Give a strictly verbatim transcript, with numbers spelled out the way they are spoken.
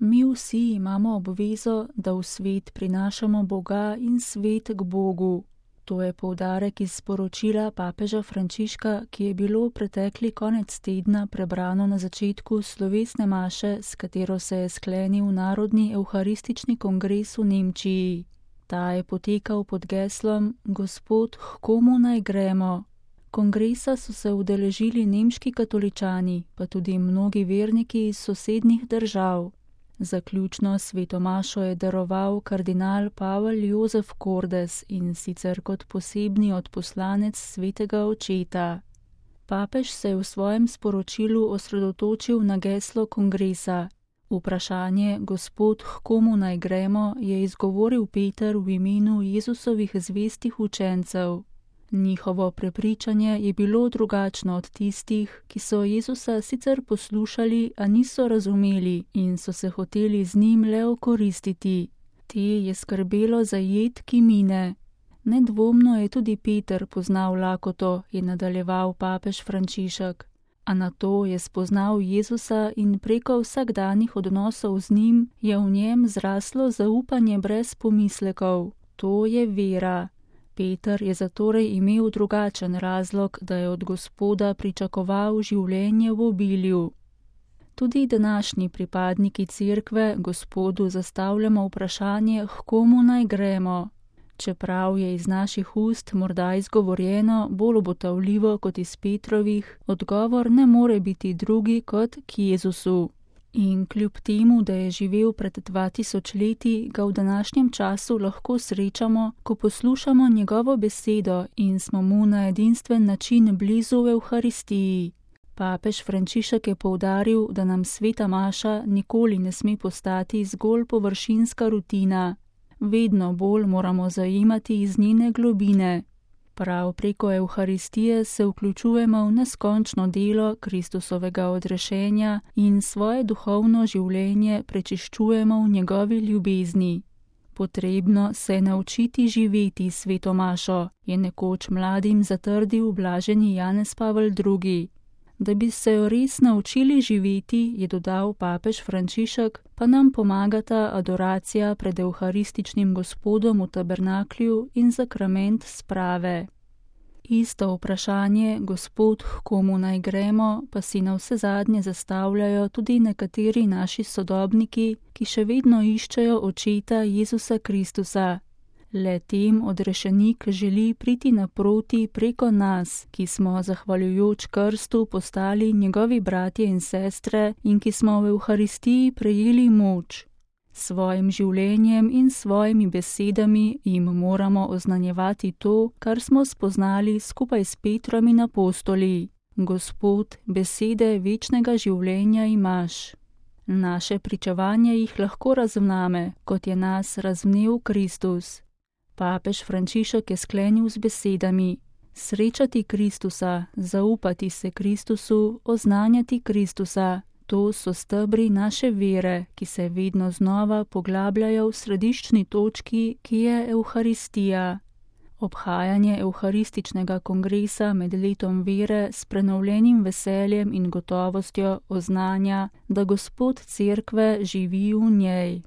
Mi vsi imamo obvezo, da v svet prinašamo Boga in svet k Bogu. To je poudarek iz sporočila papeža Frančiška, ki je bilo pretekli konec tedna prebrano na začetku slovesne maše, s katero se je sklenil Narodni evharistični kongres v Nemčiji. Ta je potekal pod geslom Gospod, h komu naj gremo? Kongresa so se udeležili nemški katoličani, pa tudi mnogi verniki iz sosednjih držav. Zaključno sveto mašo je daroval kardinal Pavel Jozef Kordes, in sicer kot posebni odposlanec svetega očeta. Papež se je v svojem sporočilu osredotočil na geslo kongresa. Vprašanje Gospod, h komu naj gremo, je izgovoril Peter v imenu Jezusovih zvestih učencev. Njihovo prepričanje je bilo drugačno od tistih, ki so Jezusa sicer poslušali, a niso razumeli in so se hoteli z njim le okoristiti. Te je skrbelo za jed, ki mine. Nedvomno je tudi Peter poznal lakoto, je nadaljeval papež Frančišek, a nato je spoznal Jezusa in preko vsakdanjih odnosov z njim je v njem zraslo zaupanje brez pomislekov. To je vera. Peter je zatorej imel drugačen razlog, da je od Gospoda pričakoval življenje v obilju. Tudi današnji pripadniki cerkve Gospodu zastavljamo vprašanje, h komu naj gremo. Čeprav je iz naših ust morda izgovorjeno bolj obotavljivo kot iz Petrovih, odgovor ne more biti drugi kot k Jezusu. In kljub temu, da je živel pred dva tisoč leti, ga v današnjem času lahko srečamo, ko poslušamo njegovo besedo in smo mu na edinstven način blizu v Evharistiji. Papež Frančišek je poudaril, da nam sveta maša nikoli ne sme postati zgolj površinska rutina. Vedno bolj moramo zajemati iz njene globine. Prav preko Evharistije se vključujemo v neskončno delo Kristusovega odrešenja in svoje duhovno življenje prečiščujemo v njegovi ljubezni. Potrebno se je naučiti živeti sveto mašo, je nekoč mladim zatrdil blaženi Janez Pavel drugi. Da bi se jo res naučili živeti, je dodal papež Frančišek, pa nam pomagata adoracija pred evharističnim Gospodom v tabernaklju in sakrament sprave. Isto vprašanje, Gospod, h komu naj gremo, pa si navsezadnje zastavljajo tudi nekateri naši sodobniki, ki še vedno iščejo očeta Jezusa Kristusa. Le tem odrešenik želi priti naproti preko nas, ki smo zahvaljujoč krstu postali njegovi bratje in sestre in ki smo v Evharistiji prejeli moč. Svojim življenjem in svojimi besedami jim moramo oznanjevati to, kar smo spoznali skupaj s Petrom in apostoli. Gospod, besede večnega življenja imaš. Naše pričevanje jih lahko razvname, kot je nas razvnel Kristus. Papež Frančišek je sklenil z besedami: srečati Kristusa, zaupati se Kristusu, oznanjati Kristusa. To so stebri naše vere, ki se vedno znova poglabljajo v središčni točki, ki je Evharistija. Obhajanje Evharističnega kongresa med letom vere s prenovljenim veseljem in gotovostjo oznanja, da Gospod cerkve živi v njej.